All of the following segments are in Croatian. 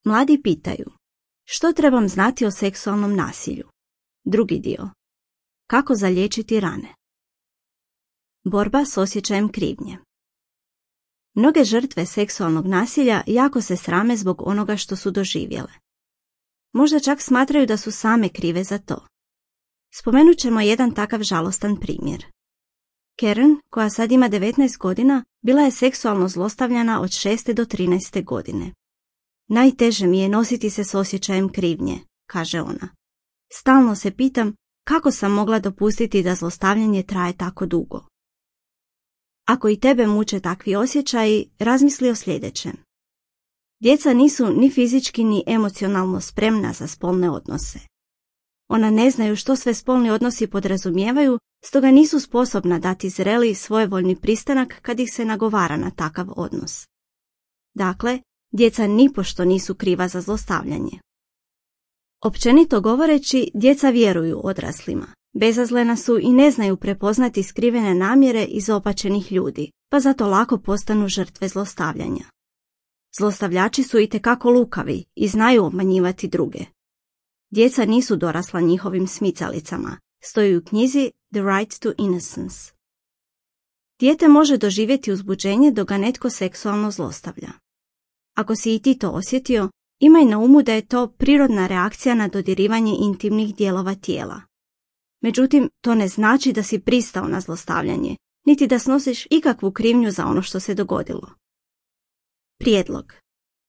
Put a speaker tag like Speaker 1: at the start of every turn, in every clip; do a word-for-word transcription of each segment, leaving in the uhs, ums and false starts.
Speaker 1: Mladi pitaju: što trebam znati o seksualnom nasilju? Drugi dio: kako zaliječiti rane? Borba s osjećajem krivnje. Mnoge žrtve seksualnog nasilja jako se srame zbog onoga što su doživjele. Možda čak smatraju da su same krive za to. Spomenut ćemo jedan takav žalostan primjer. Karen, koja sad ima devetnaest godina, bila je seksualno zlostavljana od šeste do trinaeste godine. Najteže mi je nositi se s osjećajem krivnje, kaže ona. Stalno se pitam kako sam mogla dopustiti da zlostavljanje traje tako dugo. Ako i tebe muče takvi osjećaji, razmisli o sljedećem. Djeca nisu ni fizički ni emocionalno spremna za spolne odnose. Ona ne znaju što sve spolni odnosi podrazumijevaju, stoga nisu sposobna dati zreli svojevoljni pristanak kad ih se nagovara na takav odnos. Dakle, djeca nipošto nisu kriva za zlostavljanje. Općenito govoreći, djeca vjeruju odraslima. Bezazlena su i ne znaju prepoznati skrivene namjere izopačenih ljudi, pa zato lako postanu žrtve zlostavljanja. Zlostavljači su itekako lukavi i znaju obmanjivati druge. Djeca nisu dorasla njihovim smicalicama, stoji u knjizi The Right to Innocence. Dijete može doživjeti uzbuđenje dok ga netko seksualno zlostavlja. Ako si i ti to osjetio, imaj na umu da je to prirodna reakcija na dodirivanje intimnih dijelova tijela. Međutim, to ne znači da si pristao na zlostavljanje, niti da snosiš ikakvu krivnju za ono što se dogodilo. Prijedlog.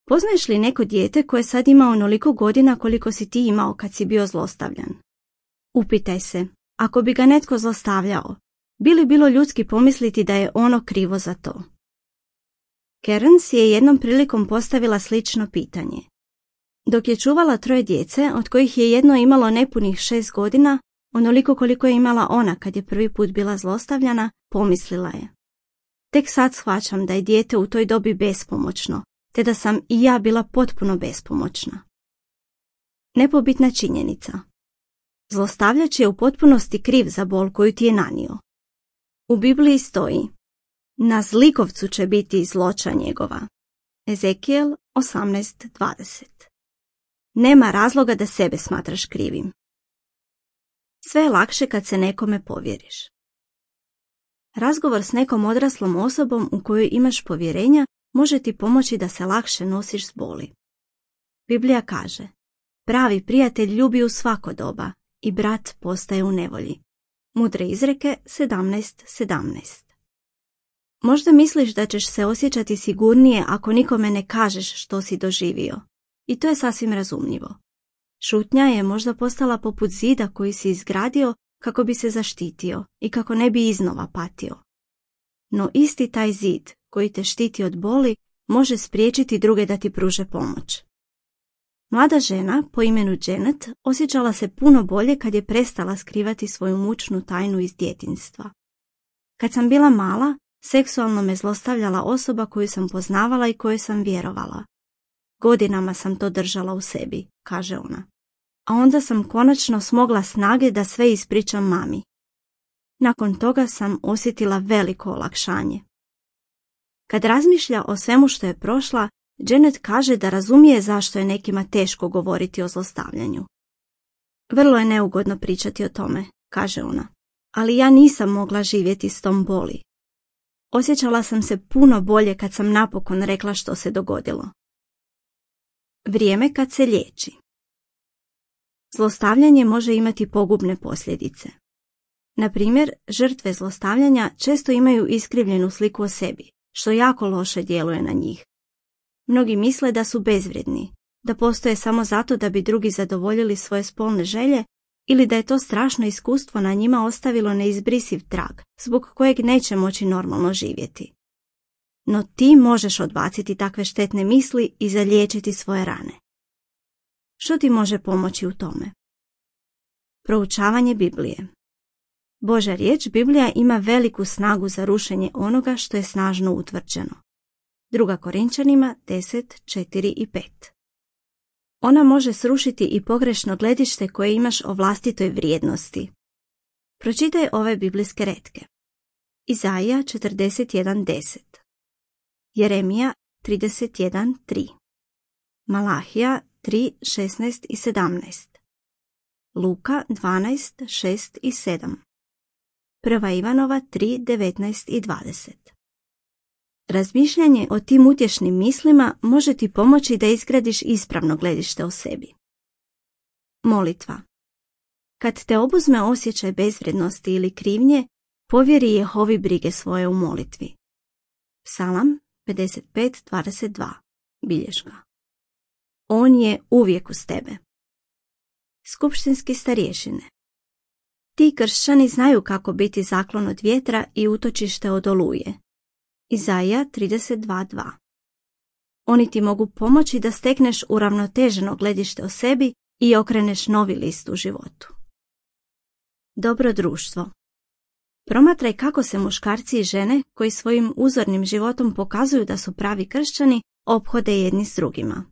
Speaker 1: Poznaješ li neko dijete koje sad ima onoliko godina koliko si ti imao kad si bio zlostavljan? Upitaj se, ako bi ga netko zlostavljao, bi li bilo ljudski pomisliti da je ono krivo za to? Karen si je jednom prilikom postavila slično pitanje. Dok je čuvala troje djece, od kojih je jedno imalo nepunih šest godina, onoliko koliko je imala ona kad je prvi put bila zlostavljana, pomislila je: tek sad shvaćam da je dijete u toj dobi bespomoćno, te da sam i ja bila potpuno bespomoćna. Nepobitna činjenica. Zlostavljač je u potpunosti kriv za bol koju ti je nanio. U Bibliji stoji: na zlikovcu će biti zloća njegova. Ezekijel osamnaest dvadeset. Nema razloga da sebe smatraš krivim. Sve je lakše kad se nekome povjeriš. Razgovor s nekom odraslom osobom u kojoj imaš povjerenja može ti pomoći da se lakše nosiš s boli. Biblija kaže: pravi prijatelj ljubi u svako doba i brat postaje u nevolji. Mudre izreke sedamnaest sedamnaest. Možda misliš da ćeš se osjećati sigurnije ako nikome ne kažeš što si doživio. I to je sasvim razumljivo. Šutnja je možda postala poput zida koji si izgradio kako bi se zaštitio i kako ne bi iznova patio. No isti taj zid koji te štiti od boli može spriječiti druge da ti pruže pomoć. Mlada žena po imenu Janet osjećala se puno bolje kad je prestala skrivati svoju mučnu tajnu iz djetinjstva. Kad sam bila mala, seksualno me zlostavljala osoba koju sam poznavala i kojoj sam vjerovala. Godinama sam to držala u sebi, kaže ona. A onda sam konačno smogla snage da sve ispričam mami. Nakon toga sam osjetila veliko olakšanje. Kad razmišlja o svemu što je prošla, Janet kaže da razumije zašto je nekima teško govoriti o zlostavljanju. Vrlo je neugodno pričati o tome, kaže ona, ali ja nisam mogla živjeti s tom boli. Osjećala sam se puno bolje kad sam napokon rekla što se dogodilo. Vrijeme kad se liječi. Zlostavljanje može imati pogubne posljedice. Na primjer, žrtve zlostavljanja često imaju iskrivljenu sliku o sebi, što jako loše djeluje na njih. Mnogi misle da su bezvrijedni, da postoje samo zato da bi drugi zadovoljili svoje spolne želje ili da je to strašno iskustvo na njima ostavilo neizbrisiv trag, zbog kojeg neće moći normalno živjeti. No ti možeš odbaciti takve štetne misli i zaliječiti svoje rane. Što ti može pomoći u tome? Proučavanje Biblije. Božja riječ Biblija ima veliku snagu za rušenje onoga što je snažno utvrđeno. Druga Korinčanima deset, četiri i pet. Ona može srušiti i pogrešno gledište koje imaš o vlastitoj vrijednosti. Pročitaj ove biblijske retke. Izaija četrdeset jedan deset. Jeremija trideset jedan tri. Malahija tri, šesnaest i sedamnaest. Luka dvanaest, šest i sedam. Prva Ivanova tri, devetnaest i dvadeset. Razmišljanje o tim utješnim mislima može ti pomoći da izgradiš ispravno gledište o sebi. Molitva. Kad te obuzme osjećaj bezvrijednosti ili krivnje, povjeri Jehovi brige svoje u molitvi. Psalam pedeset pet, dvadeset dva. Bilješka. On je uvijek uz tebe. Skupštinski starješine. Ti kršćani znaju kako biti zaklon od vjetra i utočište od oluje. Izaija trideset dva, dva. Oni ti mogu pomoći da stekneš uravnoteženo gledište o sebi i okreneš novi list u životu. Dobro društvo. Promatraj kako se muškarci i žene, koji svojim uzornim životom pokazuju da su pravi kršćani, ophode jedni s drugima.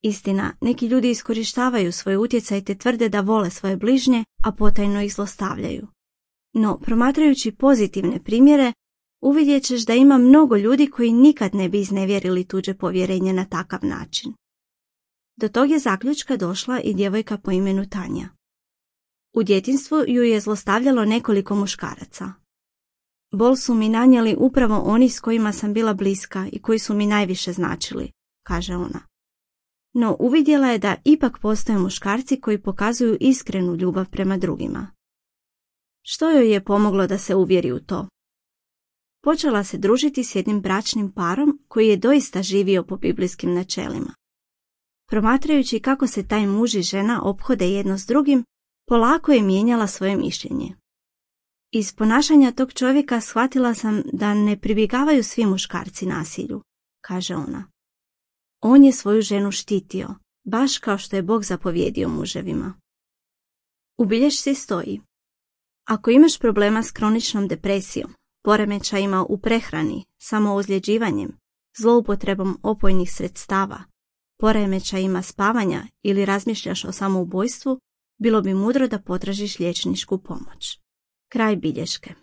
Speaker 1: Istina, neki ljudi iskorištavaju svoj utjecaj te tvrde da vole svoje bližnje, a potajno ih zlostavljaju. No, promatrajući pozitivne primjere, uvidjet ćeš da ima mnogo ljudi koji nikad ne bi iznevjerili tuđe povjerenje na takav način. Do tog je zaključka došla i djevojka po imenu Tanja. U djetinjstvu ju je zlostavljalo nekoliko muškaraca. Bol su mi nanijeli upravo oni s kojima sam bila bliska i koji su mi najviše značili, kaže ona. No uvidjela je da ipak postoje muškarci koji pokazuju iskrenu ljubav prema drugima. Što joj je pomoglo da se uvjeri u to? Počela se družiti s jednim bračnim parom koji je doista živio po biblijskim načelima. Promatrajući kako se taj muž i žena ophode jedno s drugim, polako je mijenjala svoje mišljenje. Iz ponašanja tog čovjeka shvatila sam da ne pribjegavaju svi muškarci nasilju, kaže ona. On je svoju ženu štitio, baš kao što je Bog zapovjedio muževima. U bilješci stoji: ako imaš problema s kroničnom depresijom, poremećajima u prehrani, samoozljeđivanjem, zloupotrebom opojnih sredstava, poremećajima spavanja ili razmišljaš o samoubojstvu, bilo bi mudro da potražiš liječničku pomoć. Kraj bilješke.